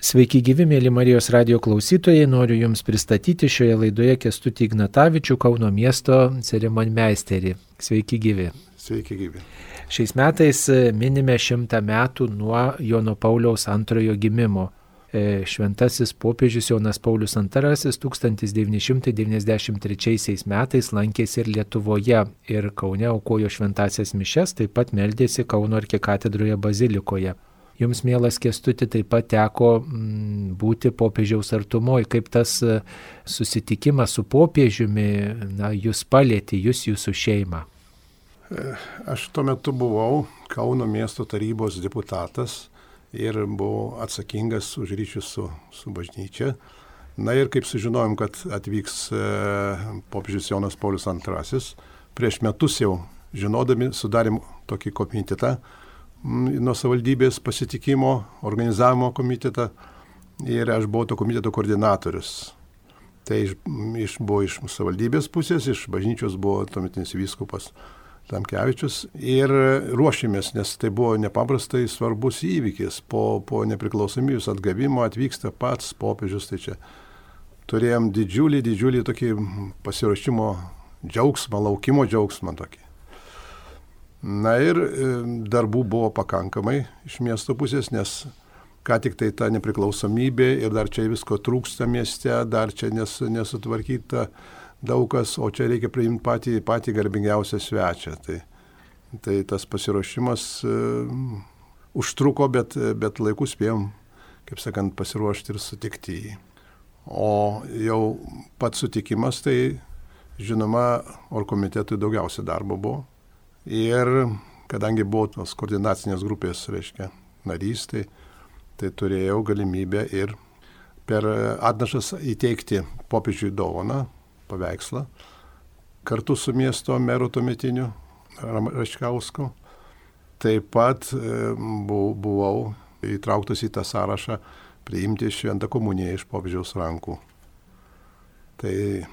Sveiki gyvi, mėly Marijos radijo klausytojai, noriu Jums pristatyti šioje laidoje Kęstutį Ignatavičių, Kauno miesto ceremonmeisterį. Sveiki gyvi. Sveiki gyvi. Šiais metais minime 100 metų nuo Jono Pauliaus II gimimo. Šventasis popiežius Jonas Paulius II 1993 metais lankėsi ir Lietuvoje, ir Kaune aukojo šventąsias mišias, taip pat meldėsi Kauno arkikatedroje bazilikoje. Jums, mielas Kęstuti, taip pat teko būti popiežiaus artumoj. Kaip tas susitikimas su popiežiumi jūs palėtė, jūsų šeimą? Aš tuo metu buvau Kauno miesto tarybos deputatas ir buvau atsakingas už ryšius su bažnyčia. Na ir kaip sužinojom, kad atvyks popiežius Jonas Paulius II, prieš metus jau žinodami sudarėm tokį komitetą, nuo savivaldybės pasitikimo, organizavimo komitetą, ir aš buvau to komiteto koordinatorius. Tai buvo iš savivaldybės pusės, iš bažnyčios buvo tuometinis vyskupas Tamkevičius, ir ruošėmės, nes tai buvo nepaprastai svarbus įvykis. Po nepriklausomybės atgavimo atvyksta pats popiežius, tai čia turėjom didžiulį tokį pasiruošimo džiaugsmą, laukimo džiaugsmą tokį. Na ir darbų buvo pakankamai iš miesto pusės, nes ką tik tai ta nepriklausomybė ir dar čia visko trūksta mieste, dar čia nesutvarkyta daug kas, o čia reikia priimti patį garbingiausią svečią. Tai tas pasiruošimas užtruko, bet laiku spėjom, kaip sakant, pasiruošti ir sutikti jį. O jau pats sutikimas, tai žinoma, orkomitetui daugiausia darbo buvo. Ir kadangi buvo tos koordinacinės grupės, narys, tai turėjau galimybę ir per atnašas įteikti popiežiui dovaną, paveikslą, kartu su miesto meru tuometiniu Račkausku. Taip pat buvau įtrauktas į tą sąrašą priimti šventą komuniją iš popiežiaus rankų. Tai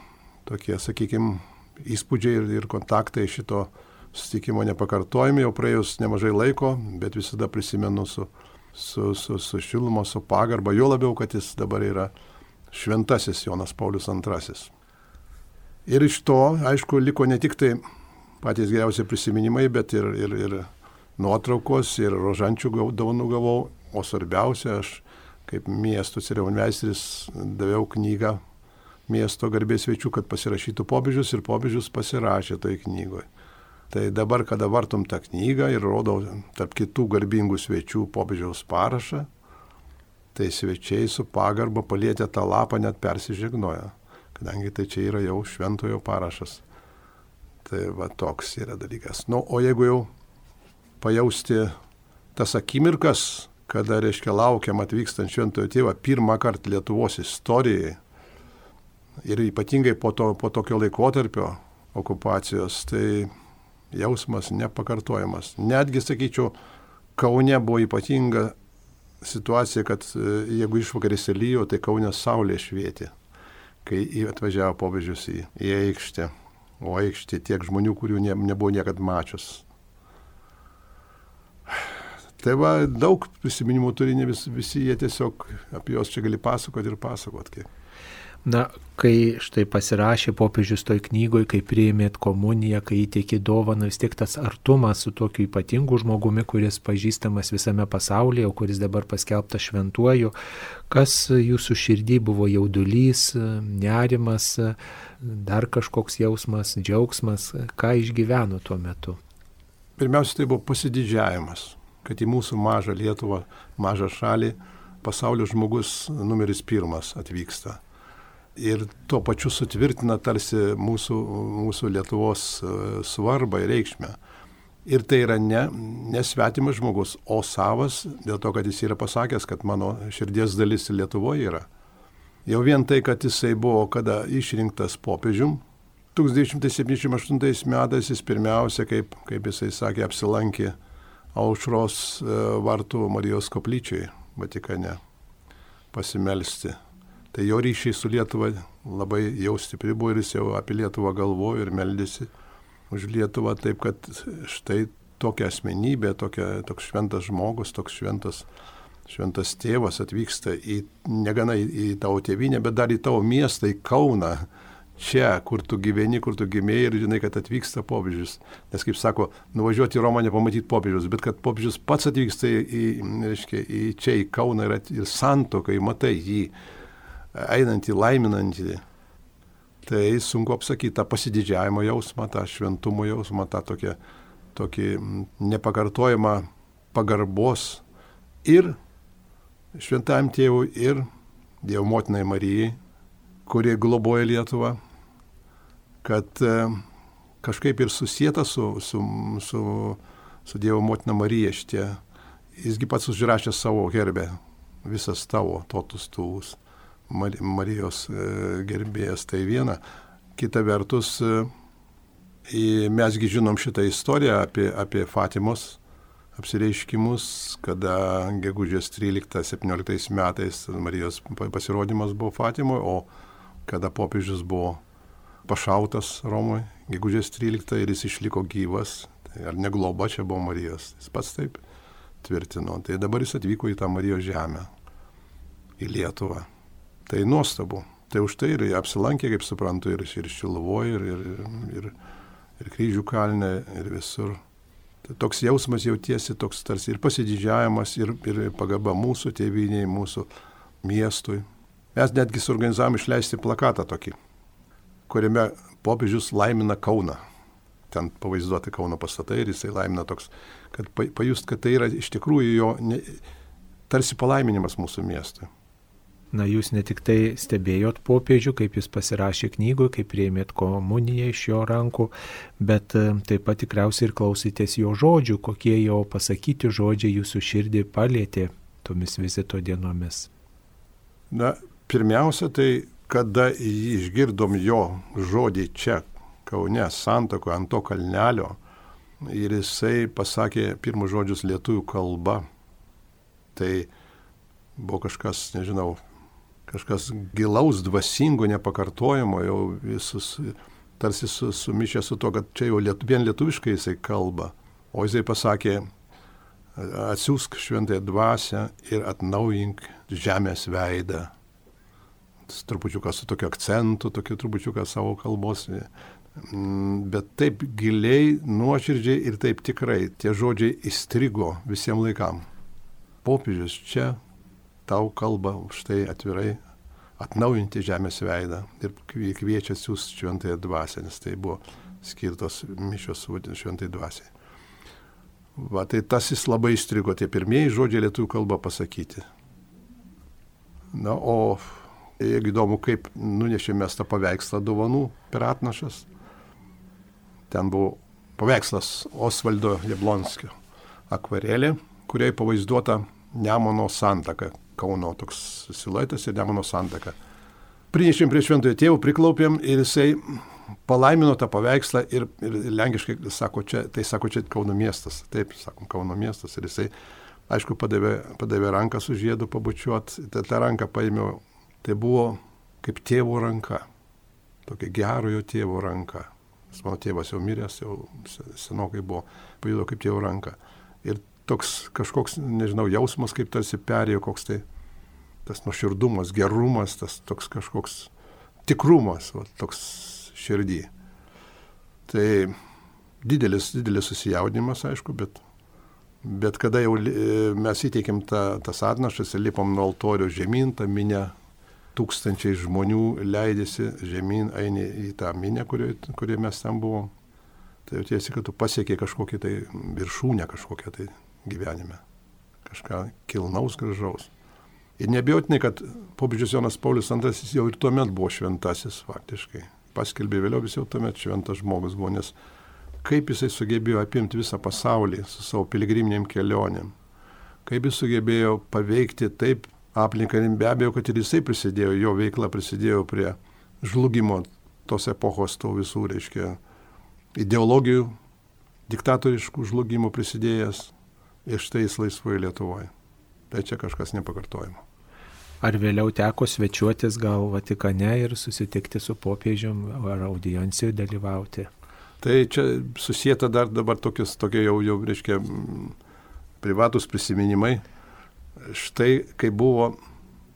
tokie, sakykime, įspūdžiai ir kontaktai šito susitikimo nepakartojami, jau praėjus nemažai laiko, bet visada prisimenu su šilumo, su pagarba, jo labiau, kad jis dabar yra šventasis Jonas Paulius II. Ir iš to, aišku, liko ne tik tai patys geriausi prisiminimai, bet ir nuotraukos, ir rožančių dovanų gavau, o svarbiausia, aš kaip miesto ceremonmeisteris daviau knygą miesto garbės svečių, kad pasirašytų popiežius, ir popiežius pasirašė toj knygoje. Tai dabar, kada vartom tą knygą ir rodau tarp kitų garbingų svečių popiežiaus parašą, tai svečiai su pagarba palietę tą lapą net persižegnoja, kadangi tai čia yra jau šventojo parašas. Tai va toks yra dalykas. O jeigu jau pajausti tas akimirkas, kada, laukiam atvykstant šventojo tėvą pirmą kartą Lietuvos istorijai, ir ypatingai po tokio laikotarpio okupacijos, tai jausmas nepakartojamas. Netgi, sakyčiau, Kaune buvo ypatinga situacija, kad jeigu išvakarėse lyjo, tai Kaune saulė švietė, kai atvažiavo popiežius į aikštę. O aikštė tiek žmonių, kurių nebuvo niekad mačius. Tai va, daug prisiminimų turi, ne visi jie tiesiog apie juos čia gali pasakoti ir pasakoti. Na, kai štai pasirašė popiežius toj knygoj, kai priėmėt komuniją, kai įteikė dovaną, vis tiek tas artumas su tokiu ypatingu žmogumi, kuris pažįstamas visame pasaulyje, o kuris dabar paskelbtas šventuoju, kas jūsų širdį buvo jaudulys, nerimas, dar kažkoks jausmas, džiaugsmas, ką išgyveno tuo metu? Pirmiausia, tai buvo pasididžiavimas, kad į mūsų mažą Lietuvą, mažą šalį, pasaulio žmogus numeris 1 atvyksta. Ir tuo pačiu sutvirtina tarsi mūsų Lietuvos svarbą ir reikšmę. Ir tai yra ne svetimas žmogus, o savas, dėl to, kad jis yra pasakęs, kad mano širdies dalis Lietuvoje yra. Jau vien tai, kad jisai buvo kada išrinktas popiežium, 1978 metais jis pirmiausia, kaip jisai sakė, apsilankė Aušros vartų Marijos koplyčiai Vatikane pasimelsti. Tai jo ryšiai su Lietuva labai jau stipri buvo, ir jis jau apie Lietuvą galvojo ir meldėsi už Lietuvą, taip kad štai tokia asmenybė, toks šventas žmogus, toks šventas tėvas atvyksta negana į tavo tėvynę, bet dar į tavo miestą, į Kauną, čia, kur tu gyveni, kur tu gimėjai ir žinai, kad atvyksta popiežius. Nes, kaip sako, nuvažiuoti į Romą nepamatyti popiežius, bet kad popiežius pats atvyksta į čia, į Kauną ir santuokai, matai jį einantį, laiminantį. Tai sunku apsakyti tą pasididžiavimo jausmą, tą šventumo jausmą, tą tokį nepakartojimą pagarbos ir šventajam tėvui, ir Dievo motinai Marijai, kurie globoja Lietuvą, kad kažkaip ir susieta su Dievo motina Marija šitie. Jisgi pats užrašė savo herbe, visas tavo totus tuvus, Marijos gerbėjas, tai viena. Kita vertus, mesgi žinom šitą istoriją apie Fatimos apsireiškimus, kada gegužės 13-17 metais Marijos pasirodymas buvo Fatimoje, o kada popiežius buvo pašautas Romoje, gegužės 13 ir jis išliko gyvas, tai ar ne globa čia buvo Marijos, jis pats taip tvirtino. Tai dabar jis atvyko į tą Marijos žemę, į Lietuvą. Tai nuostabu. Tai už tai ir apsilankė, kaip suprantu, ir Šiluvoje, ir Kryžių kalne, ir visur. Tai toks jausmas jautiesi, toks tarsi ir pasididžiavimas, ir pagarba mūsų tėvynei, mūsų miestui. Mes netgi suorganizavom išleisti plakatą tokį, kuriame popiežius laimina Kauną. Ten pavaizduoti Kauno pastatai ir jisai laimina toks, kad pajust, kad tai yra iš tikrųjų jo tarsi palaiminimas mūsų miestui. Na, jūs ne tik tai stebėjot popiežių, kaip jis pasirašė knygoje, kaip priėmėt komuniją iš jo rankų, bet taip pat tikriausiai ir klausytės jo žodžių, kokie jo pasakyti žodžiai jūsų širdį palėtė tomis vizito dienomis. Na, pirmiausia, tai kada išgirdom jo žodį čia, Kaune, Santuokoje, ant to kalnelio, ir jisai pasakė pirmus žodžius lietuvių kalba, tai buvo kažkas, nežinau, kažkas gilaus, dvasingo, nepakartojimo, jau visus tarsi sumišę su to, kad čia jau vien lietuviškai jisai kalba. O jisai pasakė, atsiųsk šventąją dvasią ir atnaujink žemės veidą. Trupučiuką su tokiu akcentu, tokiu trupučiuką savo kalbos. Bet taip giliai, nuoširdžiai ir taip tikrai tie žodžiai įstrigo visiems laikam. Popiežius čia tau kalba už tai atvirai atnaujinti žemės veidą ir kviečia siųsti šventąją dvasią, nes tai buvo skirtos mišios šventai dvasiai. Va, tai tas jis labai įstrigo, tie pirmieji žodžiai lietuvių kalba pasakyti. Na, o jeigu įdomu, kaip nunešėme tą paveikslą dovanų per atnašas, ten buvo paveikslas Osvaldo Jablonskio akvarelė, kuriai pavaizduota Nemuno santaka, Kauno toks siluetas ir Nemuno santaka. Prinešėm prie šventojo tėvo, priklaupėm ir jisai palaimino tą paveikslą ir lenkiškai sako, čia Kauno miestas. Taip, sakom, Kauno miestas. Ir jisai, aišku, padavė ranką su žiedu pabučiuot. Ta ranką paėmiau, tai buvo kaip tėvo ranka. Tokia gerojo tėvo ranka. Mano tėvas jau miręs, jau senokai buvo, pajudo kaip tėvo ranka. Ir toks kažkoks, nežinau, jausmas, kaip tarsi perėjo koks tai tas nuoširdumas, gerumas, tas toks kažkoks tikrumas, va, toks širdį. Tai didelis susijaudinimas, aišku, bet kada jau mes įteikėm tas atnašas ir lipom nuo altorių žemyn, tą minę, tūkstančiai žmonių leidėsi žemyn, eini į tą minę, kurioje mes ten buvom. Tai jautiesi, kad tu pasiekė kažkokią tai viršūnę kažkokią tai gyvenime. Kažką kilnaus, gražaus. Ir neabejotinai, kad popiežius Jonas Paulius II jau ir tuomet buvo šventasis faktiškai. Paskelbė vėliau, jis jau tuomet šventas žmogus buvo, nes kaip jisai sugebėjo apimti visą pasaulį su savo piligriminėm kelionėm. Kaip jis sugebėjo paveikti taip aplinką, be abejo, kad ir jisai prisidėjo, jo veikla prisidėjo prie žlugimo tos epochos, to visų, reiškia, ideologijų, diktatoriškų žlugimų prisidėjęs ir štai jis laisvoje Lietuvoje. Tai čia kažkas nepakartojimo. Ar vėliau teko svečiuotis gal Vatikane ir susitikti su popiežium ar audiencijoje dalyvauti? Tai čia susijęta dar dabar tokie jau reiškia, privatus prisiminimai. štai kai buvo,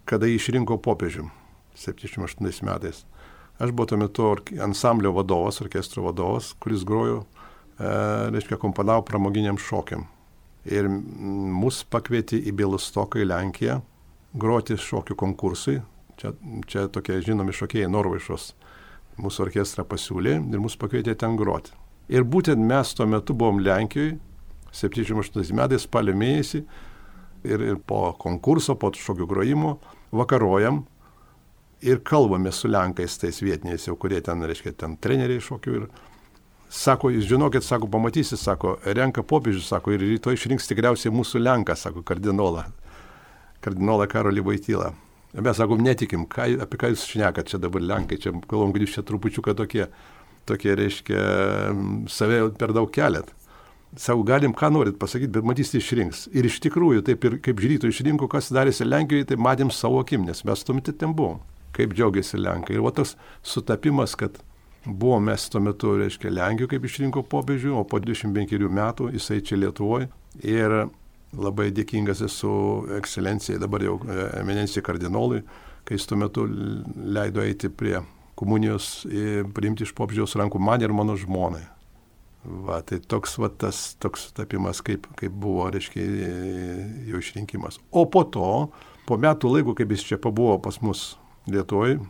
kada jį išrinko popiežių 78 metais. Aš buvau tuo metu ansamblio vadovas, orkestro vadovas, kuris grojo, komponavo pramoginiam šokiam. Ir mus pakvietė į Bialystoką, į Lenkiją, groti šokių konkursui. Čia tokie žinomi šokėjai Norvaišos mūsų orkestrą pasiūlė ir mus pakvietė ten groti. Ir būtent mes tuo metu buvom Lenkijoje, 78 metais, spalio mėnesį, ir po konkurso, po šokių grojimo, vakarojam ir kalbame su Lenkais, tais vietiniais, jau kurie ten, ten treneriai šokių. Ir sako, jūs žinokit, sako, pamatysi, sako, renka popiežius, sako, ir rytoj išrinks tikriausiai mūsų Lenką, sako, kardinolą Karolį Voitylą. Mes, sakom, netikim, apie ką jūs šnekat čia dabar Lenkai, čia kalbam, kad jūs čia trupučiuką tokie, save per daug keliat. Sako, galim ką norit pasakyti, bet matysite išrinks. Ir iš tikrųjų, taip ir kaip žryto išrinko, kas darėsi Lenkijoje, tai matėm savo akim, nes mes tuo metu ten buvom. Kaip džiaugiasi Lenkai. Ir tas sutapimas, kad buvo mes tuo metu, Lenkijoje, kaip išrinko popiežių, o po 25 metų jisai čia Lietuvoje. Ir labai dėkingas esu ekscelencijai, dabar jau eminencijai kardinolui, kai jis tuo metu leido eiti prie komunijos ir priimti iš popiežiaus rankų man ir mano žmonai. Tai toks sutapimas, kaip buvo, jo išrinkimas. O po to, po metų laiko, kaip jis čia pabuvo pas mus Lietuvoje,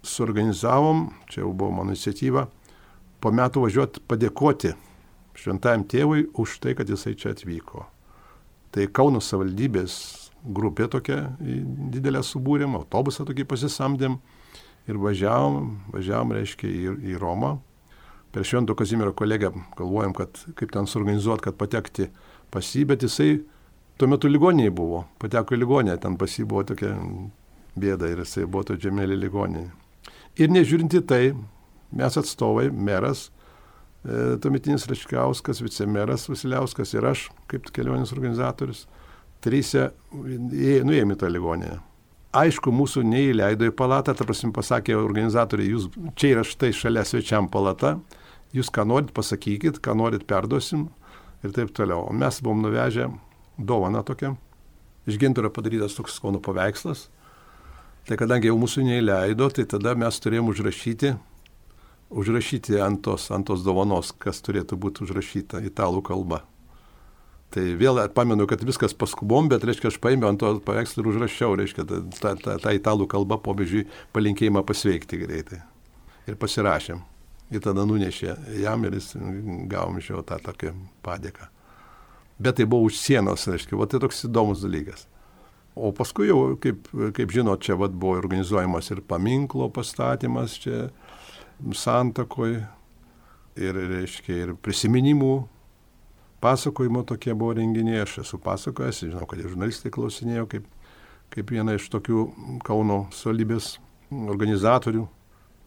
suorganizavom, čia jau buvo mano iniciatyva, po metų važiuoti padėkoti šventajam tėvui už tai, kad jisai čia atvyko. Tai Kauno savivaldybės grupė tokia didelę subūrėm, autobusą tokį pasisamdėm ir važiavom, į Romą. Per Švento Kazimiero kolegę galvojom, kad kaip ten suorganizuoti, kad patekti pas jį, bet jisai tuo metu ligoninėje buvo, pateko į ligoninę, ten pas jį buvo tokia bėda ir jisai buvo to Džemelį ligoninėje. Ir nežiūrinti tai, mes atstovai, meras, tuometinis Račkauskas, vicemeras Vasiliauskas ir aš, kaip kelionės organizatorius, trysia nuėjome į tą ligoninę. Aišku, mūsų neįleido į palatą, ta prasme pasakė organizatoriai, jūs čia yra štai šalia svečiam palata, jūs ką norit pasakykit, ką norit perduosim ir taip toliau. O mes buvom nuvežę dovaną tokią, iš gintaro padarytas toks Kauno paveikslas. Tai kadangi jau mūsų neįleido, tai tada mes turėjom užrašyti ant tos dovanos, kas turėtų būti užrašyta italų kalba. Tai vėl pamenu, kad viskas paskubom, bet aš paėmiau ant to paveikslą ir užrašiau, tą italų kalbą popiežiui palinkėjimą pasveikti greitai. Ir pasirašėm. Ir tada nunešė jam ir jis gavom iš jo tą tokią padėką. Bet tai buvo už sienos, tai toks įdomus dalykas. O paskui jau, kaip žinot, čia buvo organizuojamas ir paminklo pastatymas čia Santakoje ir prisiminimų pasakojimo tokie buvo renginiai. Aš esu pasakojęs, žinau, kad žurnalistai klausinėjo kaip viena iš tokių Kauno savivaldybės organizatorių.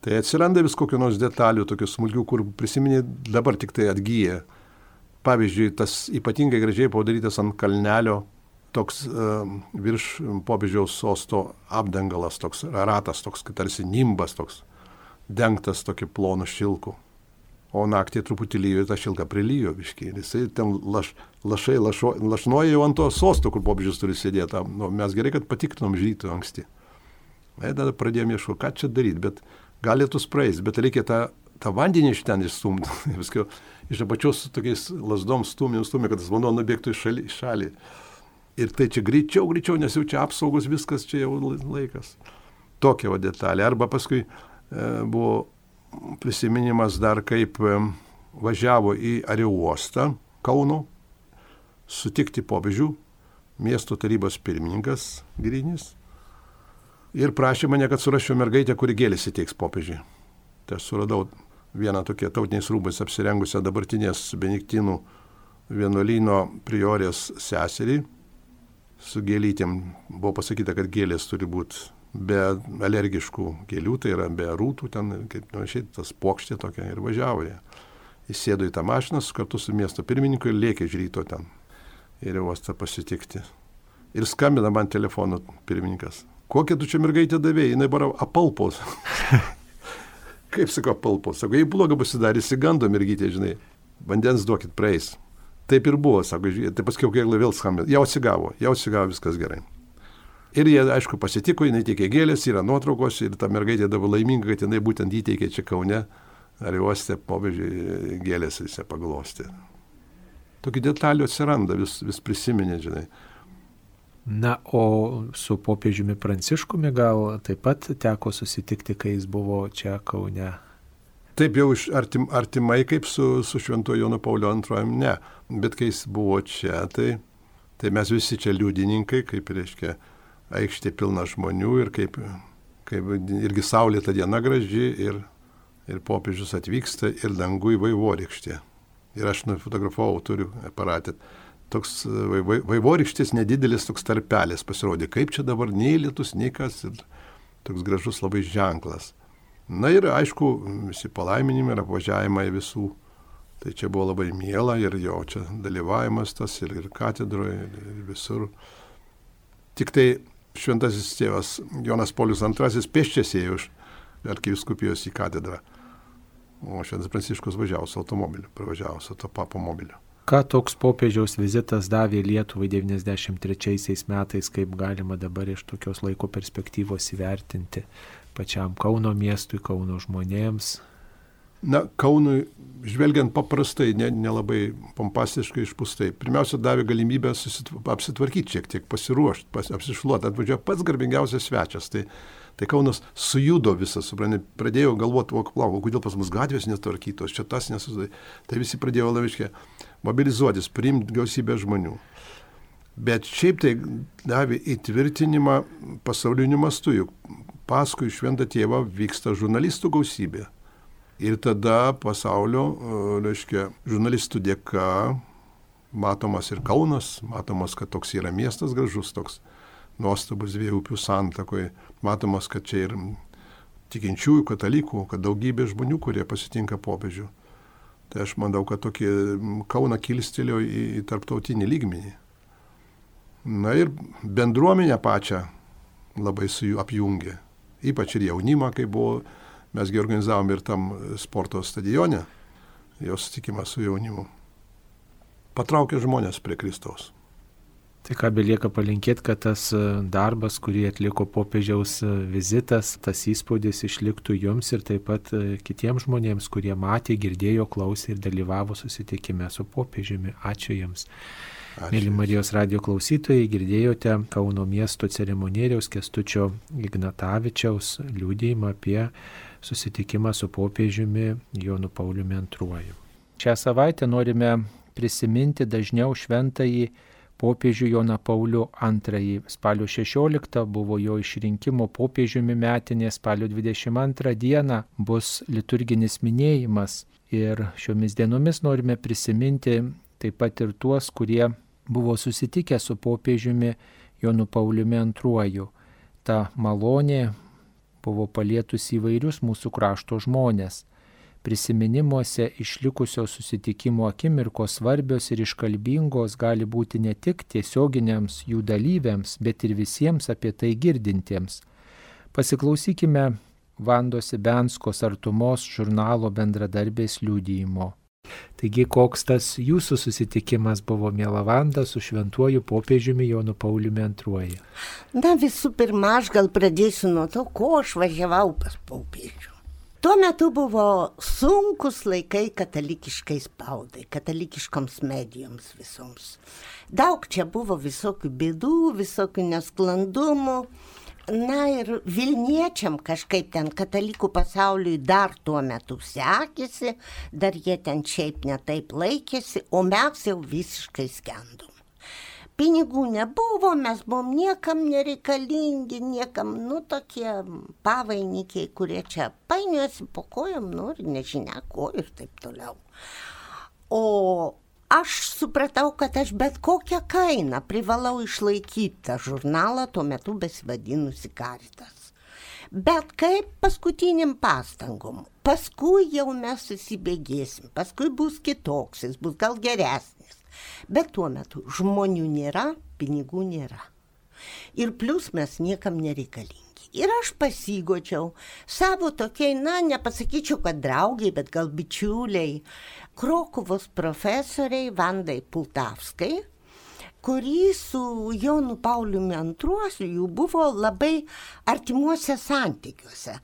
Tai atsiranda vis kokių nors detalių, tokių smulkių, kur prisiminė dabar tik tai atgyja. Pavyzdžiui, tas ypatingai gražiai padarytas ant kalnelio toks virš popiežiaus sosto apdangalas, toks ratas, toks tarsi nimbas, toks dengtas tokiu plonu šilku. O naktį truputį lyjo ir tą šilką prilyjo biškiai. Ir jisai ten lašnoja jau ant to sosto, kur popiežius turi sėdėti. Mes gerai, kad patikrinom žrytų anksti. Tada pradėjome ieškoti, ką čia daryti, bet gali tu praeis, bet reikia tą vandenį iš ten išstumti. Viskio iš apačios su tokiais lasdom stumė, kad tas vanduo nubėgtų į šalį. Ir tai čia greičiau, nes jau čia apsaugos viskas, čia jau laikas. Tokia detalė. Arba paskui buvo prisiminimas dar, kaip važiavo į aerouostą Kauno sutikti popiežių, miesto tarybos pirmininkas Grinis, ir prašė mane, kad surasčiau mergaitę, kuri gėlės įteiks popiežiui. Tai aš suradau vieną tokią tautiniais rūbais apsirengusią dabartinės Benediktinų vienuolyno priorės seserį. Su gėlytėm buvo pasakyta, kad gėlės turi būti be alergiškų gėlių, tai yra be rūtų, ten, kaip šiaip, tas pokštė tokia, ir važiavo jie. Jis sėdo į tą mašiną kartu su miesto pirmininku ir lėkė iš ryto ten ir uostą pasitikti. Ir skambina man telefonu pirmininkas. Kokią tu čia mergaitę davėjai? Jinai bara apalpos. Kaip sako apalpos? Sako, jei bloga pasidarė, įsigando mergytė, žinai. Vandens duokit praeis. Taip ir buvo, sako, tai paskui kiek vėl skambino, jau atsigavo, viskas gerai. Ir jie, aišku, pasitiko, jinai teikė gėlės, yra nuotraukos ir ta mergaitė dabar laiminga, kad jinai būtent įteikė čia Kaune, ar uoste popiežiui gėlės jis paglostė. Tokių detalių atsiranda, vis prisiminė, žinai. Na, o su popiežiumi Pranciškumi gal taip pat teko susitikti, kai jis buvo čia Kaune? Taip jau artimai kaip su Šventuoju Jonu Pauliu II, ne. Bet kai jis buvo čia, tai mes visi čia liudininkai, kaip reiškia, aikštė pilna žmonių ir kaip irgi saulėta diena graži ir popiežius atvyksta ir dangui vaivorykštė. Ir aš nufotografavau, turiu aparatę. Toks vaivorykštės nedidelis toks tarpelis pasirodė, kaip čia dabar nei lietus, nei kas, ir toks gražus labai ženklas. Na ir aišku, visi palaiminimai ir apvažiavimai visų, tai čia buvo labai miela ir jo čia dalyvavimas tas ir katedroje, ir visur. Tik tai šventasis tėvas Jonas Paulius II pėsčias ėjo iš arkivyskupijos į katedrą, o šventas Pranciškus važiavo su automobiliu, pravažiavo su to papo mobiliu. Ką toks popiežiaus vizitas davė Lietuvai 93 metais, kaip galima dabar iš tokios laiko perspektyvos įvertinti pačiam Kauno miestui, Kauno žmonėms? Na, Kaunui, žvelgiant paprastai, nelabai pompastiškai išpūstai, pirmiausia davė galimybę apsitvarkyti šiek tiek, pasiruošti, apsišluoti, atvažiuoja pats garbingiausias svečias. Tai Kaunas sujudo visas, supranti, pradėjo galvoti, kodėl pas mus gatvės netvarkytos, čia tas nesusidai. Tai visi pradėjo labiškai mobilizuotis, priimti gausybę žmonių. Bet šiaip tai davė įtvirtinimą pasauliniu mastu, juk paskui šventą tėvą vyksta žurnalistų gausybė. Ir tada pasaulio, reiškia, žurnalistų dėka matomas ir Kaunas, matomas, kad toks yra miestas gražus, toks nuostabus dviejų upių santakoje, matomas, kad čia ir tikinčiųjų katalikų, kad daugybė žmonių, kurie pasitinka popiežių. Tai aš manau, kad tokį Kauną kilstelėjo į tarptautinį lygmenį. Na ir bendruomenę pačią labai su jų apjungė, ypač ir jaunimą, kai buvo, mesgi organizavom ir tam sporto stadione, jo susitikimą su jaunimu. Patraukė žmonės prie Kristaus. Tai ką belieka palinkėti, kad tas darbas, kurį atliko popiežiaus vizitas, tas įspūdis išliktų jums ir taip pat kitiems žmonėms, kurie matė, girdėjo, klausė ir dalyvavo susitikime su popiežiumi. Ačiū Jums. Mėly Marijos radijo klausytojai, girdėjote Kauno miesto ceremonieriaus Kęstučio Ignatavičiaus liudijimą apie susitikimą su popiežiumi Jonu Pauliumi II. Šią savaitę norime prisiminti dažniau šventąjį popiežių Joną Paulių II. Spalio 16 buvo jo išrinkimo popiežiumi metinė, spalio 22 dieną bus liturginis minėjimas ir šiomis dienomis norime prisiminti taip pat ir tuos, kurie buvo susitikę su popiežiumi Jonu Pauliumi II. Ta malonė buvo palietusi įvairius mūsų krašto žmonės. Prisiminimuose išlikusio susitikimo akimirkos svarbios ir iškalbingos gali būti ne tik tiesioginiams jų dalyviams, bet ir visiems apie tai girdintiems. Pasiklausykime Vandos Ibenskos artumos žurnalo bendradarbės liudijimo. Taigi, koks tas jūsų susitikimas buvo, miela Vanda, su šventuoju popiežiumi Jonu Pauliumi II? Na, visų pirma, aš gal pradėsiu nuo to, ko aš važiavau pas popiežių. Tuo metu buvo sunkus laikai katalikiškai spaudai, katalikiškoms medijoms visoms. Daug čia buvo visokių bėdų, visokių nesklandumų. Na ir Vilniečiam kažkaip ten katalikų pasauliui dar tuo metu sekėsi, dar jie ten šiaip netaip laikėsi, o mes jau visiškai skendom. Pinigų nebuvo, mes buvom niekam nereikalingi, niekam, tokie pavainikiai, kurie čia painiuosi po kojom, ir nežinia ko ir taip toliau. O aš supratau, kad aš bet kokią kainą privalau išlaikyti tą žurnalą, tuo metu besivadinusi Caritas. Bet kaip paskutiniam pastangom. Paskui jau mes susibėgėsim, paskui bus kitoks, jis bus gal geresnis. Bet tuo metu žmonių nėra, pinigų nėra. Ir plus mes niekam nereikalingi. Ir aš pasigodžiau savo tokiai, nepasakyčiau, kad draugiai, bet gal bičiuliai, Krokuvos profesoriai Vandai Pultavskai, kuri su Jonu Pauliumi II jų buvo labai artimuose santykiuose.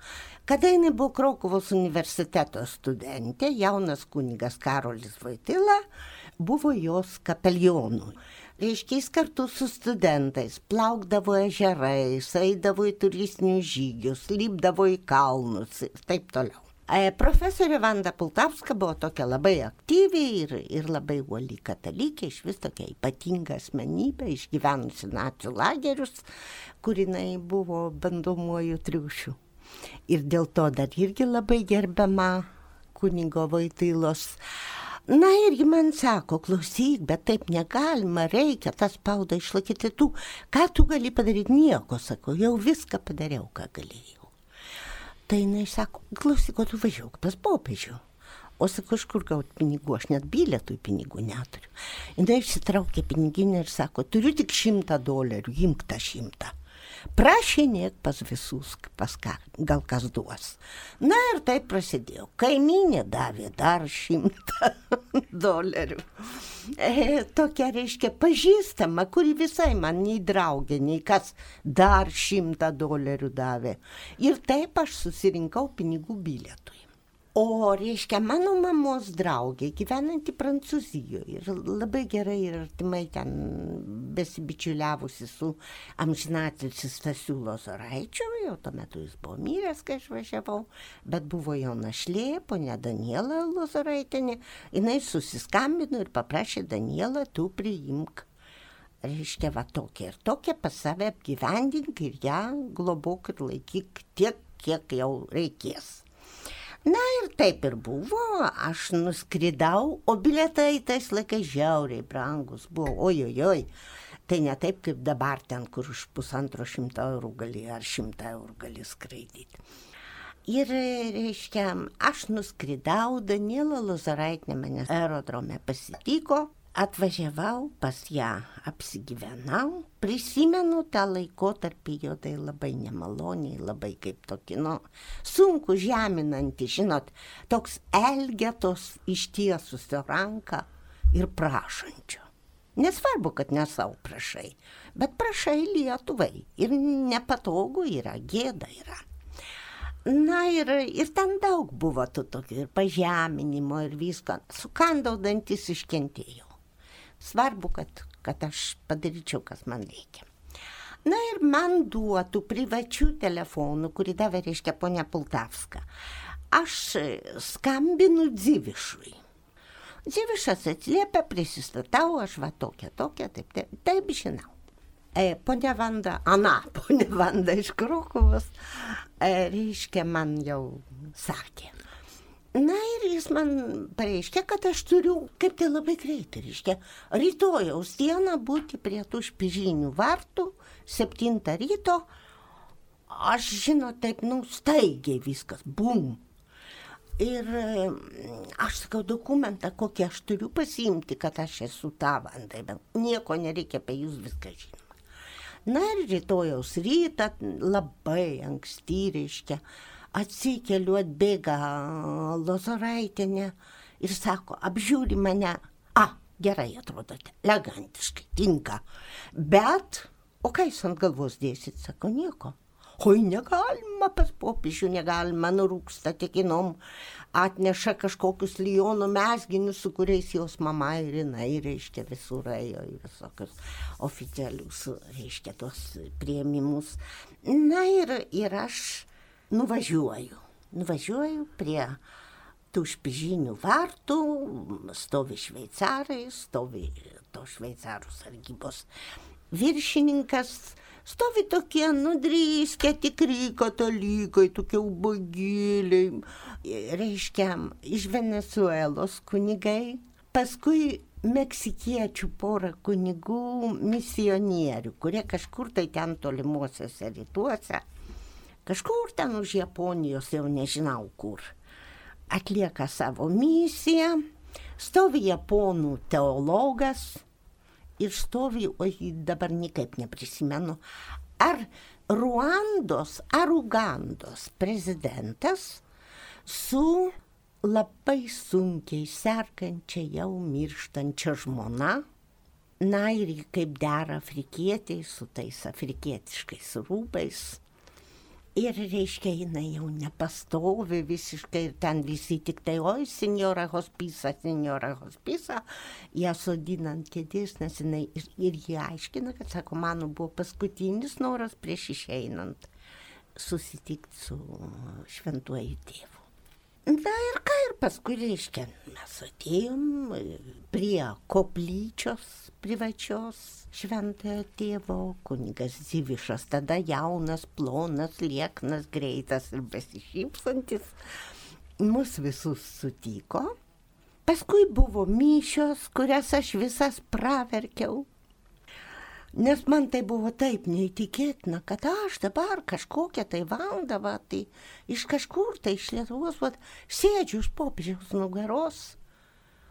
Kada jinai buvo Krokuvos universiteto studentė, jaunas kunigas Karolis Voityla buvo jos kapelionu. Reiškia, jis kartu su studentais plaukdavo ežerais, eidavo į turistinius žygius, lipdavo į kalnus ir taip toliau. Profesorė Vanda Pultavska buvo tokia labai aktyvi ir labai uoli katalikė, iš vis tokia ypatinga asmenybė, išgyvenusi nacių lagerius, kur jinai buvo bandomuoju triušiu. Ir dėl to dar irgi labai gerbiama kunigo Voitylos. Na irgi man sako, klausyk, bet taip negalima, reikia tą spaudą išlaikyti. Ką tu gali padaryti? Nieko, sako, jau viską padariau, ką galėjau. Tai jinai sako, klausyk, o tu važiuok pas popiežių. O sako, iš kur gauti pinigų, aš net bilietų pinigų neturiu. Jinai išsitraukė piniginę ir sako, turiu tik $100, imk tą 100. Prašinėk pas visus, pas ką, gal kas duos. Na ir taip prasidėjo. Kaimynė davė dar $100. Tokia, reiškia, pažįstama, kuri visai man nei draugė, nei kas dar $100 davė. Ir taip aš susirinkau pinigų bilietui. O, reiškia, mano mamos draugė, gyvenanti Prancūzijoje ir labai gerai ir artimai ten besibičiuliavusi su amžinatilsiu Stasiu Lozoraičiu, jau tuo metu jis buvo miręs, kai aš važiavau, bet buvo jo našlė, ponia Daniela Lozoraitienė, jinai susiskambino ir paprašė Danielą, tu priimk. Reiškia, va tokia ir tokia pas save apgyvendink ir ją globok ir laikyk tiek, kiek jau reikės. Na ir taip ir buvo, aš nuskridau, o bilietai tais laikais žiauriai brangus buvo, ojojoj, tai ne taip kaip dabar ten, kur už €150 gali ar €100 gali skraidyti. Ir, reiškia, aš nuskridau, Daniela Lozoraitinė mane aerodrome pasitiko, atvažiavau pas ją, apsigyvenau, prisimenu tą laikotarpį jodai labai nemaloniai, labai kaip tokį, sunku žeminantį, žinot, toks elgetos ištiesusio ranką ir prašančio. Nesvarbu, kad ne savo prašai, bet prašai Lietuvai ir nepatogu yra, gėda yra. Na ir ten daug buvo tų tokių ir pažeminimo ir visko, sukandau dantis, iškentėjau. Svarbu, kad aš padaryčiau, kas man reikia. Na ir man duotų privačių telefonų, kurį davė, reiškia, ponia Pultavska. Aš skambinu Dzivišui. Dzivišas atsiliepia, prisistatau, aš va tokia, taip žinau. Ponia Vanda iš Krokuvos, reiškia, man jau sakė. Na ir jis man pareiškė, kad aš turiu, kaip tai labai greitai, reiškia, rytojaus dieną būti prie tų Špižinių vartų, 7 ryto, aš žinot, taip, staigiai viskas, bum. Ir aš sakau, dokumentą, kokį aš turiu pasiimti, kad aš esu ta Vanda, bet nieko nereikia apie jūs viską žinoma. Na ir rytojaus rytą, labai anksti, reiškia, atsikeliu, atbėga Lozoraitienė ir sako, apžiūri mane, gerai atrodote, elegantiškai, tinka, bet, o ką jūs ant galvos dėsit, sako, nieko. Oi, negalima pas popiežių, negalima, nurūksta tekinom, atneša kažkokius Liono mezginius, su kuriais jos mama ir jinai, reiškia, visur ėjo į visokius oficialius, reiškia, tos priėmimus. Na ir aš nuvažiuoju prie tų Špižinių vartų, stovi šveicarai, stovi to šveicarų sargybos viršininkas, stovi tokie nudrįskę tikri katalikai, tokie ubagėliai, reiškia, iš Venesuelos kunigai, paskui meksikiečių porą kunigų misionierių, kurie kažkur tai ten tolimuosiuose rytuose, kažkur ten už Japonijos, jau nežinau kur, atlieka savo misiją, stovi japonų teologas ir stovi, dabar niekaip neprisimenu, ar Ruandos ar Ugandos prezidentas su labai sunkiai sergančia jau mirštančia žmona. Na ir kaip dera afrikietiai su tais afrikietiškais rūbais. Ir reiškia, jinai jau nepastovi visiškai ir ten visi tik tai, oi, senjora hospisa, ją sodina ant kėdės, nes jinai ir jie aiškina, kad, sako, mano buvo paskutinis noras prieš išeinant susitikti su šventuoju tėvu. Na ir ką, ir paskui, reiškia, mes atėjom prie koplyčios privačios šventojo tėvo, kunigas Dzivišas, tada jaunas, plonas, lieknas, greitas ir besišypsantis, mus visus sutiko. Paskui buvo mišios, kurias aš visas praverkiau. Nes man tai buvo taip neįtikėtina, kad aš dabar kažkokią tai valandą, tai iš kažkur, tai iš Lietuvos, sėdžiu už popiežiaus nugaros,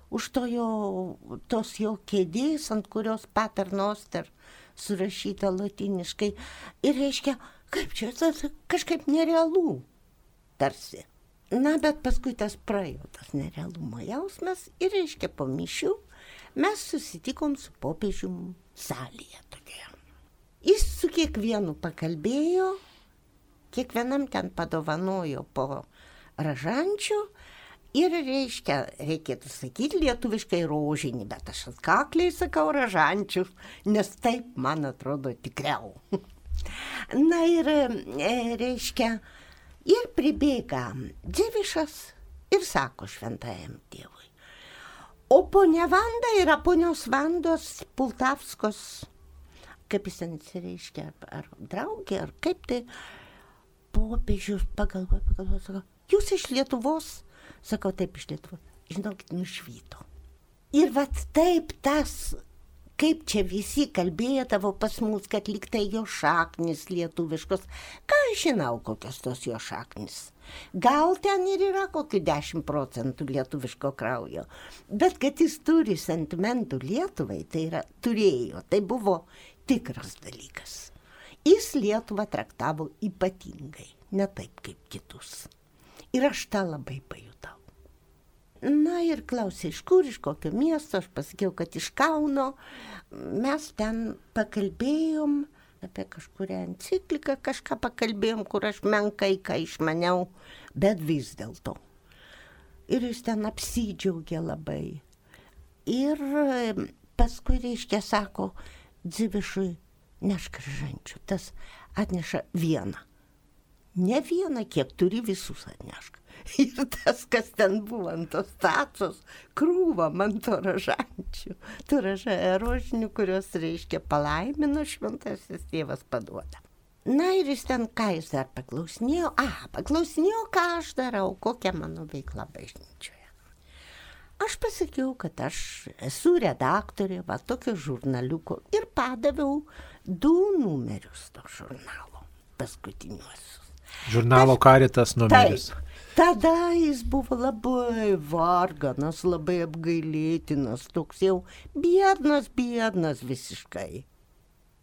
už tos jo kėdės, ant kurios Pater Noster surašyta latiniškai. Ir reiškia, kaip čia, kažkaip nerealu, tarsi. Na, bet paskui tas praėjo, tas nerealumo jausmas, ir reiškia, po mišių mes susitikom su popiežium salėje tokia. Jis su kiekvienu pakalbėjo, kiekvienam ten padovanojo po ražančių ir reiškia, reikėtų sakyti lietuviškai rožinį, bet aš atkakliai sakau ražančius, nes taip, man atrodo, tikriau. Na ir reiškia, ir pribėga Dzivišas ir sako šventajam tėvui. O ponia Vanda yra ponios Vandos Pultavskos, kaip jis ten reiškia, ar draugė, ar kaip tai, popiežius pagalvoja, sako, jūs iš Lietuvos? Sakau, taip, iš Lietuvos. Žinokit, nušvyto. Ir vat taip tas, kaip čia visi kalbėdavo pas mus, kad lyg tai jo šaknis lietuviškos. Ką aš žinau, kokios tos jo šaknis? Gal ten ir yra kokių 10% lietuviško kraujo. Bet kad jis turi sentimentų Lietuvai, tai yra turėjo, tai buvo tikras dalykas. Jis Lietuvą traktavo ypatingai, ne taip kaip kitus. Ir aš tą labai pajutau. Na ir klausė, iš kur, iš kokio miesto, aš pasakiau, kad iš Kauno. Mes ten pakalbėjom apie kažkurią encikliką, kažką pakalbėjom, kur aš menkai ką išmaniau, bet vis dėlto. Ir jis ten apsidžiaugė labai. Ir paskui, reiškia, sako, Dzivišui, nešk ražančių, tas atneša vieną. Ne vieną, kiek turi, visus atnešk. Ir tas, kas ten buvo ant tos tacos, krūva man to ražančių. Tu rožinių, kurios, reiškia, palaimino šventasis tėvas paduoda. Na ir jis ten, ką jis dar paklausinėjo? Paklausinėjo, ką aš darau, kokia mano veikla bažnyčioje. Aš pasakiau, kad aš esu redaktorė, tokio žurnaliuko, ir padaviau 2 numerius to žurnalo, paskutiniuosius. Žurnalo Caritas numeris. Taip. Tada jis buvo labai varganas, labai apgailėtinas, toks jau biednas visiškai.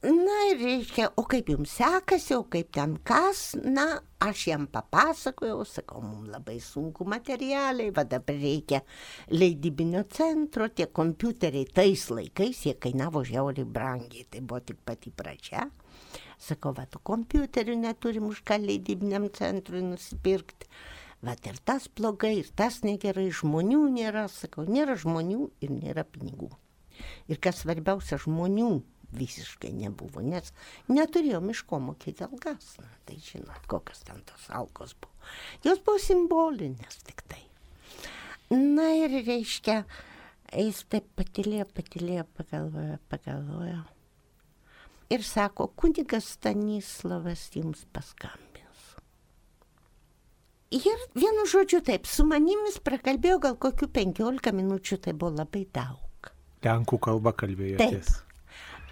Na ir reiškia, o kaip jums sekasi, o kaip ten kas, na, aš jam papasakojau, sakau, mums labai sunku materialiai, dabar reikia leidybinio centro, tie kompiuteriai tais laikais, jie kainavo žiauriai brangiai, tai buvo tik pati pradžia. Sakau, tų kompiuterių neturim už ką leidybiniam centrui nusipirkti. Ir tas blogai, ir tas negerai, žmonių nėra, sakau, nėra žmonių ir nėra pinigų. Ir kas svarbiausia, žmonių visiškai nebuvo, nes neturėjom iš ko mokėti algas. Tai žinot, kokios ten tos algos buvo. Jos buvo simbolinės tik tai. Na ir reiškia, jis taip patylėjo, pagalvojo. Ir sako, kunigas Stanislavas jums paskambins. Ir vienu žodžiu taip, su manimis prakalbėjo gal kokių 15 minučių, tai buvo labai daug. Lenkų kalba kalbėjotės. Taip.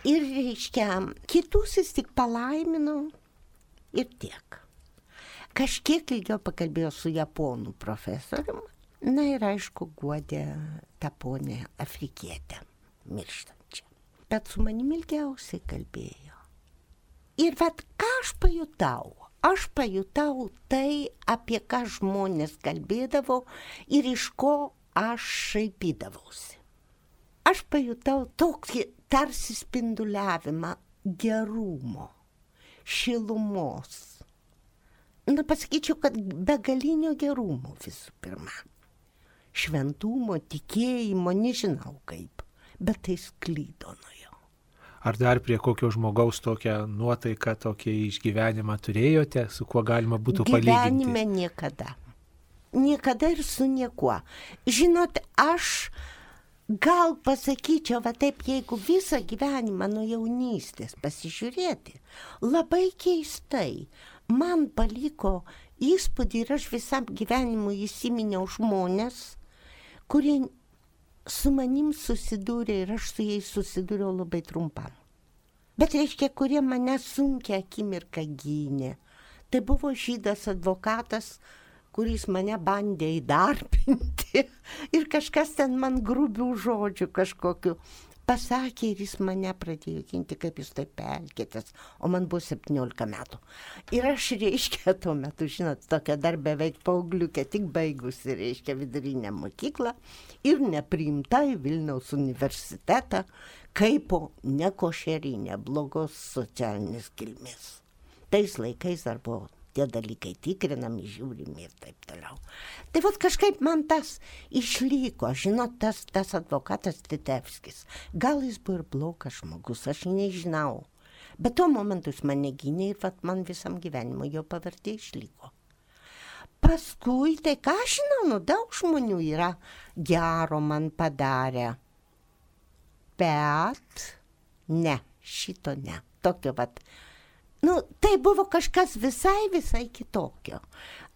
Ir reiškia, kitus jis tik palaimino ir tiek. Kažkiek ilgiau pakalbėjo su japonų profesorium, na ir aišku, guodė tą ponę afrikietę mirštančią. Bet su manimi ilgiausiai kalbėjo. Ir vat ką aš pajutau? Aš pajutau tai, apie ką žmonės kalbėdavo ir iš ko aš šaipydavausi. Aš pajutau tokį tarsi spinduliavimą gerumo, šilumos. Pasakyčiau, kad begalinio gerumo visų pirma. Šventumo, tikėjimo, nežinau kaip, bet tai sklydo nuo jo. Ar dar prie kokio žmogaus tokią nuotaiką, tokį išgyvenimą turėjote, su kuo galima būtų palyginti? Gyvenime niekada. Niekada ir su niekuo. Žinot, aš gal pasakyčiau, va taip, jeigu visą gyvenimą nuo jaunystės pasižiūrėti, labai keistai man paliko įspūdį ir aš visam gyvenimui įsiminiau žmonės, kurie su manim susidūrė ir aš su jais susidūriau labai trumpam. Bet reiškia, kurie mane sunkia akimirką gynė. Tai buvo žydas advokatas, kuris mane bandė įdarbinti ir kažkas ten man grubių žodžių kažkokiu pasakė ir jis mane pradėjo ginti, kaip jūs taip elgiatės, o man buvo 17 metų. Ir aš, reiškia, tuo metu, žinot, tokia dar beveik paaugliukė, tik baigusi, reiškia, vidurinę mokyklą ir nepriimta į Vilniaus universitetą kaip nekošerinė, blogos socialinės kilmės. Tais laikais dar buvo tie dalykai tikrinami, žiūrimi ir taip toliau. Tai vat kažkaip man tas išliko, žinot, tas advokatas Titevskis. Gal jis buvo ir blogas žmogus, aš nežinau. Bet tuo momentu jis mane gynė ir vat man visam gyvenimui jo pavardė išliko. Paskui, tai ką aš žinau, daug žmonių yra gero man padarę. Bet ne, šito ne. Tokio vat. Tai buvo kažkas visai kitokio.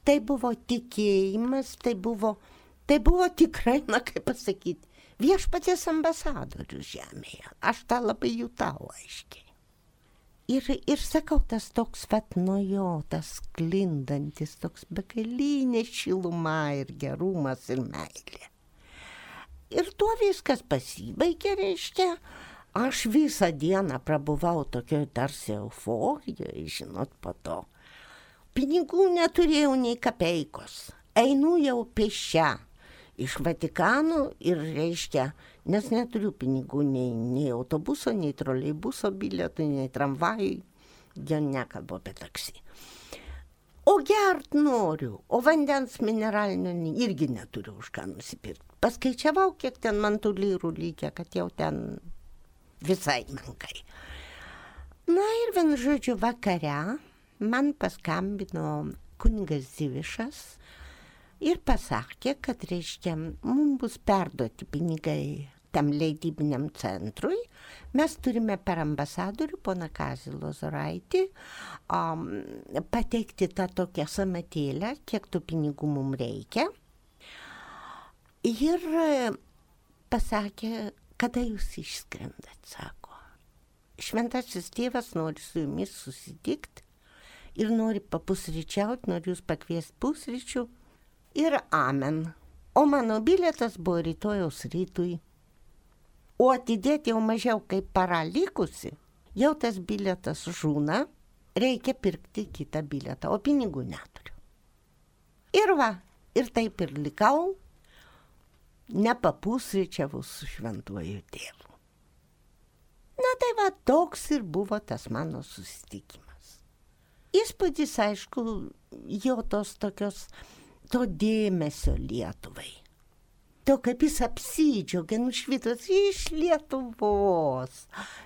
Tai buvo tikėjimas, tai buvo tikrai, kaip pasakyti, viešpaties ambasadorius žemėje. Aš tą labai jutau aiškiai. Ir sakau, tas toks nuo jo, tas sklindantis, toks begalinė šiluma ir gerumas ir meilė. Ir tuo viskas pasibaigė, reiškia. Aš visą dieną prabuvau tokioj tarsi euforijoje, žinot, po to. Pinigų neturėjau nei kapeikos. Einu jau pėsčia iš Vatikano ir, reiškia, nes neturiu pinigų nei autobuso, nei troleibuso bilietų, nei tramvajui. Jau nekalbu apie taksi. O gert noriu, o vandens mineralinio irgi neturiu už ką nusipirkti. Paskaičiavau, kiek ten man tų lyrų lygia, kad jau ten visai menkai. Na ir vienu žodžiu vakare man paskambino kunigas Zivišas ir pasakė, kad reiškia, mums bus perduoti pinigai tam leidybiniam centrui. Mes turime per ambasadorių, poną Kazį Lozoraitį, pateikti tą tokią samatėlę, kiek tų pinigų mums reikia. Ir pasakė, kada jūs išskrendat, sako. Šventasis tėvas nori su jumis susitikti ir nori papusryčiauti, nori jūs pakviesti pusryčių ir amen. O mano bilietas buvo rytojaus rytui. O atidėti jau mažiau kaip para likusi, jau tas bilietas žūna, reikia pirkti kitą bilietą, o pinigų neturiu. Ir va, ir taip ir likau, nepapusryčiavau su šventuoju tėvu. Na tai va, toks ir buvo tas mano susitikimas. Įspūdis, aišku, jo tos tokios, to dėmesio Lietuvai. To, kaip jis apsidžiaugė, nušvitos iš Lietuvos,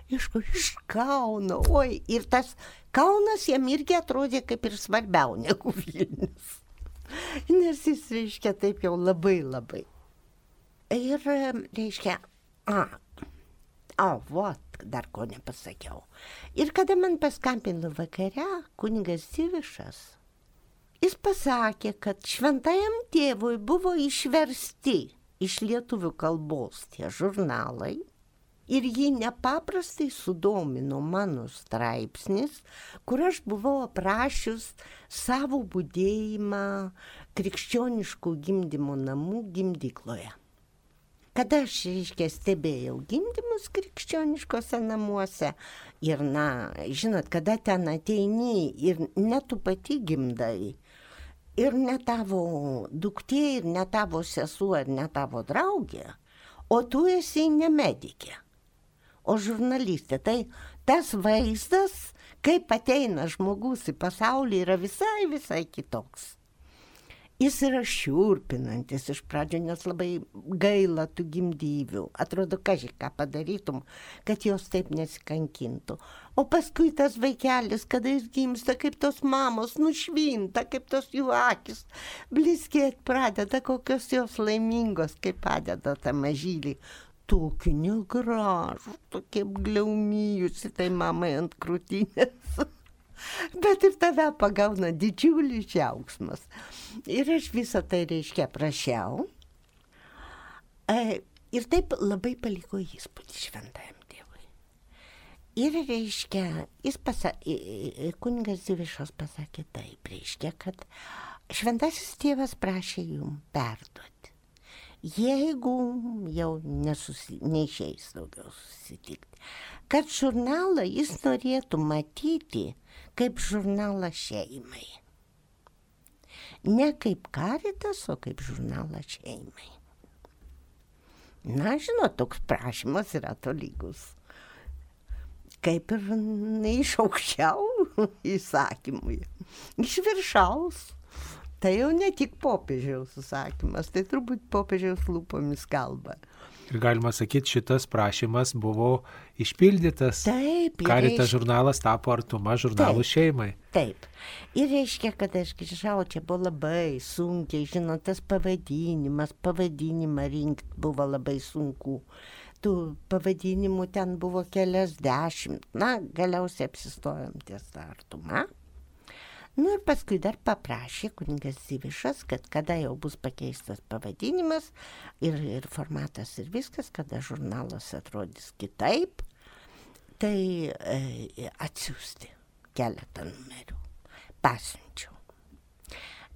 iš Kauno. Oi, ir tas Kaunas jam irgi atrodė kaip ir svarbiau negu Vilnius. Nes jis, reiškia, taip jau labai. Ir, reiškia, dar ko nepasakiau. Ir kada man paskambino vakare kunigas Zivišas, jis pasakė, kad šventajam tėvui buvo išversti iš lietuvių kalbos tie žurnalai ir jį nepaprastai sudomino mano straipsnis, kur aš buvau aprašius savo budėjimą krikščioniškų gimdymo namų gimdykloje. kada aš, reiškia, stebėjau gimdymus krikščioniškose namuose ir, žinot, kada ten ateini ir ne tu pati gimdai, ir ne tavo duktė, ir ne tavo sesuo, ir ne tavo draugė, o tu esi ne medikė, o žurnalistė. Tai tas vaizdas, kaip ateina žmogus į pasaulį, yra visai kitoks. Jis yra šiurpinantis iš pradžio, nes labai gaila tų gimdyvių. Atrodo, ką padarytum, kad jos taip nesikankintų. O paskui tas vaikelis, kada jis gimsta, kaip tos mamos nušvinta, kaip tos jų akis blizgėt pradeda, kokios jos laimingos, kaip padeda tą mažylį. Tokiu negražu, tokie gliaumijusi tai mamai ant krūtinės. Bet ir tave pagauna didžiulis džiaugsmas. Ir aš visą tai, reiškia, prašiau. Ir taip labai paliko įspūdį šventajam tėvui. Ir, reiškia, kunigas Dzivišas pasakė taip, reiškia, kad šventasis tėvas prašė jum perduoti. Jeigu jau neišeis daugiau susitikti, kad žurnalą jis norėtų matyti kaip žurnalą šeimai. Ne kaip Caritas, o kaip žurnalą šeimai. Žinot, toks prašymas yra tolygus. Kaip ir iš aukščiau įsakymui, iš viršaus. Tai jau ne tik popiežiaus įsakymas, tai turbūt popiežiaus lūpomis kalba. Ir galima sakyti, šitas prašymas buvo išpildytas. Taip. Caritas žurnalas tapo artuma žurnalų šeimai. Taip. Ir reiškia, kad aš grįžau, čia buvo labai sunkiai, žinot, tas pavadinimą rinkti buvo labai sunku. Tų pavadinimų ten buvo keliasdešimt. Galiausiai apsistojom ties tą artumą. Ir paskui dar paprašė kunigas Dzivišas, kad kada jau bus pakeistas pavadinimas ir formatas ir viskas, kada žurnalas atrodys kitaip, tai atsiųsti keletą numerių. Pasiunčiau.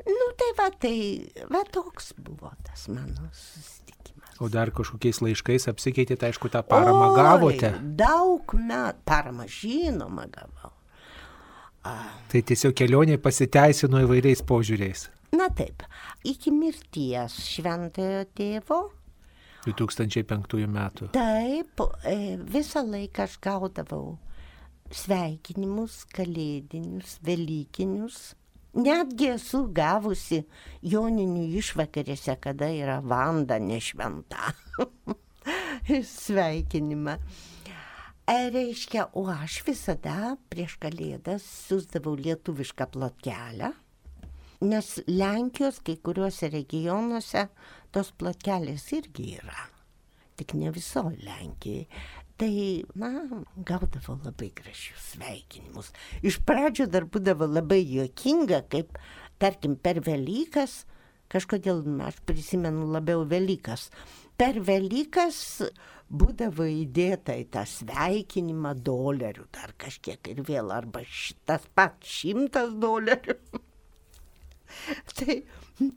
Tai toks buvo tas mano susitikimas. O dar kažkokiais laiškais apsikeitėte, aišku, tą paramą gavote? Daug metų. Paramą žinoma gavau. Tai tiesiog kelionė pasiteisino įvairiais požiūriais. Taip, iki mirties šventojo tėvo. 2005 metų. Taip, visą laiką aš gaudavau sveikinimus, kalėdinius, velykinius. Netgi esu gavusi joninių išvakarėse, kada yra Vanda nešventa. Sveikinimą. Reiškia, o aš visada prieš kalėdas siųsdavau lietuvišką plotkelę, nes Lenkijos kai kuriuose regionuose tos plotkelės irgi yra, tik ne visoje Lenkijai. Tai, gaudavau labai gražius sveikinimus. Iš pradžio dar būdavo labai juokinga, kaip, tarkim, per Velykas, kažkodėl aš prisimenu labiau Velykas, per Velykas būdavo įdėta į tą sveikinimą $, dar kažkiek ir vėl, arba tas pats $100.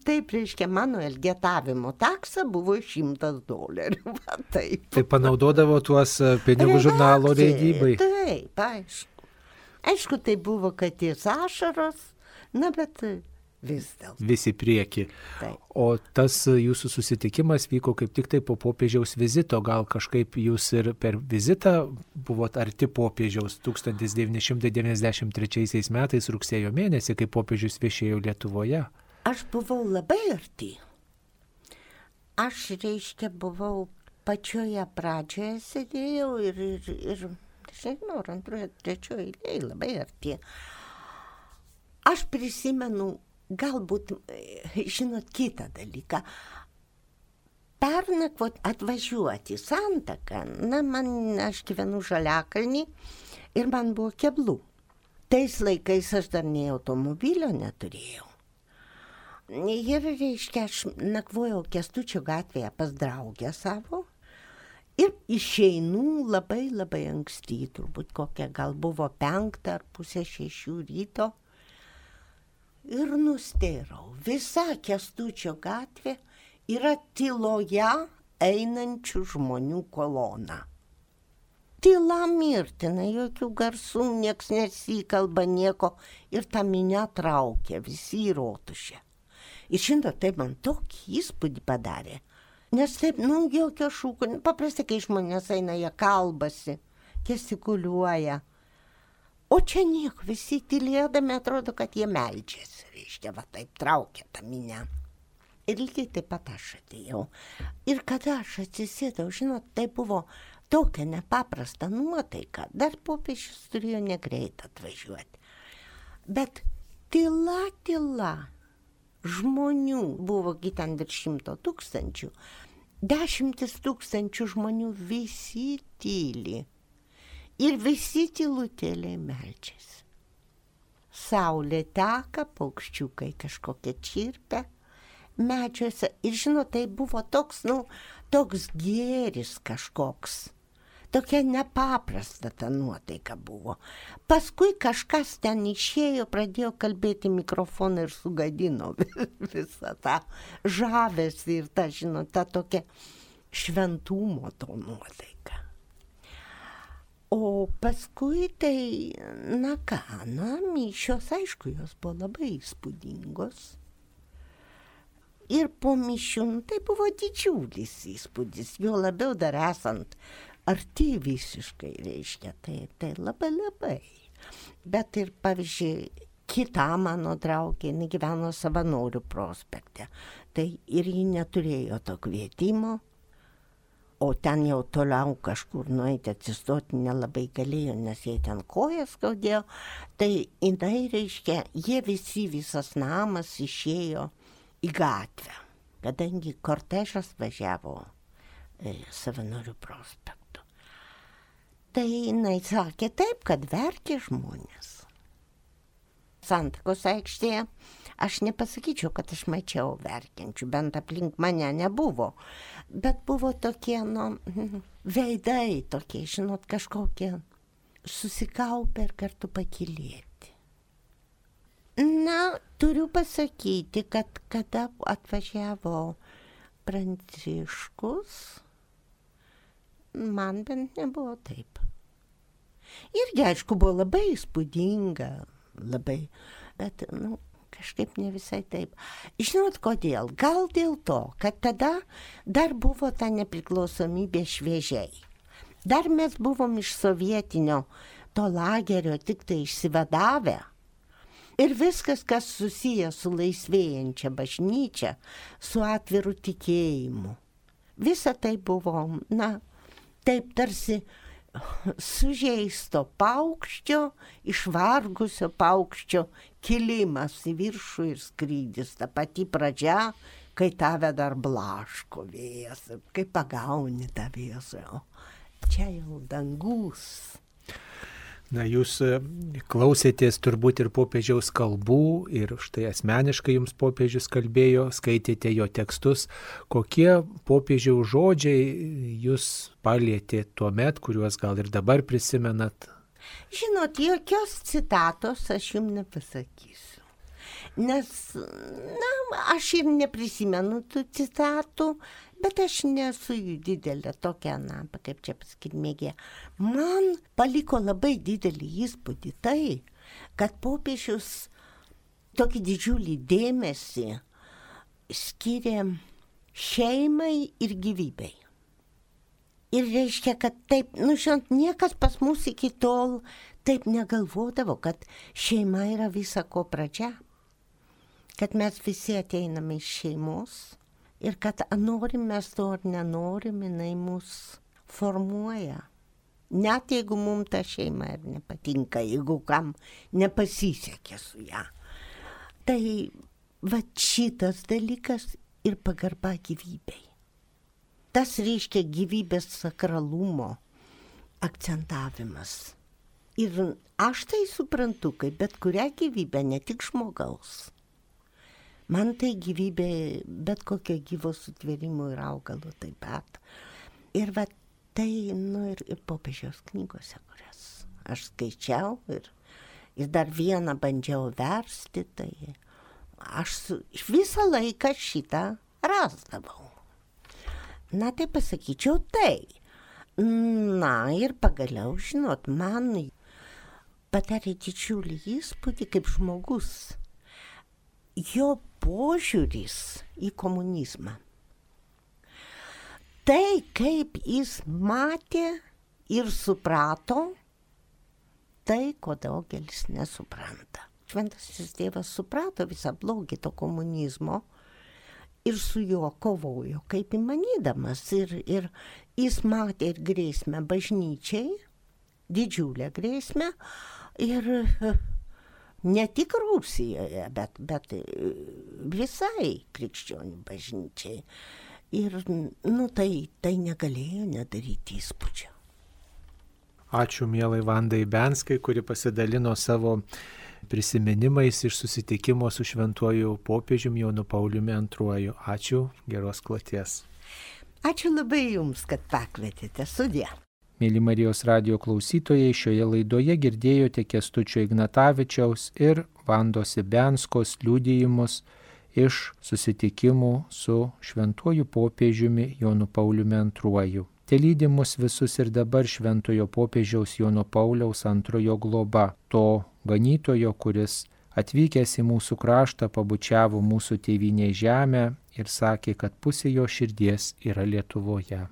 Taip, reiškia, mano elgetavimo taksa buvo $100. Taip. Tai panaudodavo tuos pinigų žurnalo leidybai. Taip, aišku. Aišku, tai buvo katės ašaros, bet vis dėlto. Visi prieki. Taip. O tas jūsų susitikimas vyko kaip tik tai po popiežiaus vizito. Gal kažkaip jūs ir per vizitą buvot arti popiežiaus 1993 metais rugsėjo mėnesį, kai popiežius viešėjo Lietuvoje? Aš buvau labai arti. Aš, reiškia, buvau pačioje pradžioje sėdėjau ir nežinau, antroje, trečioje eilėje labai arti. Aš prisimenu, galbūt, žinot, kitą dalyką. Pernakvot atvažiuoti į Santaką, aš gyvenu Žaliakalnį ir man buvo keblų. Tais laikais aš dar nei automobilio neturėjau. Ir, reiškia, aš nakvojau Kęstučio gatvėje pas draugę savo ir išeinu labai anksti, turbūt kokia gal buvo 5 ar pusė 6 ryto. Ir nustėrau, visa Kęstučio gatvė yra tyloje einančių žmonių kolona. Tyla mirtina, jokių garsų, nieks nesikalba nieko ir ta minia traukia, visi į rotušę. Ir žinot, tai man tokį įspūdį padarė, nes taip, jokio šūko, paprastai, kai žmonės eina, jie kalbasi, gestikuliuoja, o čia nieko, visi tylėdami atrodo, kad jie meldžiasi, reiškia, va taip traukia tą minia. Ir lygiai taip pat aš atėjau. Ir kada aš atsisėdau, žinot, tai buvo tokia nepaprasta nuotaika. Dar popiežius turėjo negreit atvažiuoti. Bet tyla. Žmonių buvo ten virš 100 000. 10 000 žmonių visi tyli. Ir visi tylutėliai meldžiasi. Saulė teka, paukščiukai kažkokie čirpia medžiuose. Ir žinot, tai buvo toks gėris kažkoks. Tokia nepaprasta ta nuotaika buvo. Paskui kažkas ten išėjo, pradėjo kalbėti mikrofoną ir sugadino visą tą žavesį ir tą, žinot, tą tokią šventumo to nuotaiką. O paskui tai, mišios, aišku, jos buvo labai įspūdingos. Ir po mišių, tai buvo didžiulis įspūdis, jo labiau dar esant arti visiškai, reiškia, tai labai. Bet ir, pavyzdžiui, kita mano draugė, jinai gyveno Savanorių prospekte, tai ir ji neturėjo to kvietimo, o ten jau toliau kažkur nueiti atsistoti nelabai galėjo, nes jie ten kojas skaudėjo, tai jinai, reiškia, visas namas išėjo į gatvę, kadangi kortežas važiavo Savanorių prospektu. Tai jinai sakė taip, kad verkė žmonės. Santakos aikštėje aš nepasakyčiau, kad aš mačiau verkiančių, bent aplink mane nebuvo, bet buvo tokie, veidai tokie, žinot, kažkokie susikaupę ir kartu pakylėti. Turiu pasakyti, kad kada atvažiavo Pranciškus, man bent nebuvo taip. Irgi, aišku, buvo labai įspūdinga, bet, kažkaip ne visai taip. Žinot kodėl? Gal dėl to, kad tada dar buvo ta nepriklausomybė šviežiai. Dar mes buvom iš sovietinio to lagerio tik tai išsivadavę. Ir viskas, kas susiję su laisvėjančia bažnyčia, su atviru tikėjimu. Visa tai buvo, taip tarsi sužeisto paukščio, išvargusio paukščio kilimas į viršų ir skrydis. Ta pati pradžia, kai tave dar blaško vėjas, kai pagauni tą vėją. Čia jau dangus. Jūs klausėtės turbūt ir popiežiaus kalbų ir štai asmeniškai jums popiežius kalbėjo, skaitėte jo tekstus. Kokie popiežiaus žodžiai jūs palietė tuo met, kuriuos gal ir dabar prisimenat? Žinot, jokios citatos aš jums nepasakysiu. Nes, aš ir neprisimenu tų citatų, bet aš nesu jų didelė tokia, kaip čia pasakyti, mėgėja. Man paliko labai didelį įspūdį tai, kad popiežius tokį didžiulį dėmesį skiria šeimai ir gyvybei. Ir reiškia, kad taip, žinot, niekas pas mus iki tol taip negalvodavo, kad šeima yra visa ko pradžia. Kad mes visi ateiname iš šeimos ir kad norim mes to ar nenorim, jinai mus formuoja. Net jeigu mums ta šeima ir nepatinka, jeigu kam nepasisekė su ją. Tai va šitas dalykas ir pagarba gyvybei. Tas reiškia gyvybės sakralumo akcentavimas. Ir aš tai suprantu, kaip bet kurią gyvybę, ne tik žmogaus. Man tai gyvybė, bet kokio gyvo sutvėrimo ir augalo taip pat. Ir va tai, ir popiežiaus knygose, kurias aš skaičiau ir dar vieną bandžiau versti, tai aš visą laiką šitą rasdavau. Na, tai pasakyčiau tai. Na, ir pagaliau, žinot, man padarė didžiulį įspūdį kaip žmogus. Jo požiūris į komunizmą. Tai, kaip jis matė ir suprato, tai, ko daugelis nesupranta. Šventasis tėvas suprato visą blogį to komunizmo ir su juo kovojo, kaip įmanydamas. Ir jis matė ir grėsmę bažnyčiai, didžiulę grėsmę, ir ne tik Rusijoje, bet visai krikščionių bažnyčiai. Ir, tai negalėjo nedaryti įspūdžio. Ačiū mielai Vandai Benskai, kuri pasidalino savo prisiminimais iš susitikimo su šventuoju popiežiumi Jonu Pauliumi II. Ačiū, geros kloties. Ačiū labai Jums, kad pakvietėte. Sudie. Mėly Marijos radijo klausytojai, šioje laidoje girdėjote Kęstučio Ignatavičiaus ir Vandos Benskos liudijimus iš susitikimų su šventuoju popiežiumi Jonu Pauliumi II. Telydi mus visus ir dabar šventojo popiežiaus Jono Pauliaus II globa, to ganytojo, kuris atvykęs į mūsų kraštą pabučiavo mūsų tėvynės žemę ir sakė, kad pusė jo širdies yra Lietuvoje.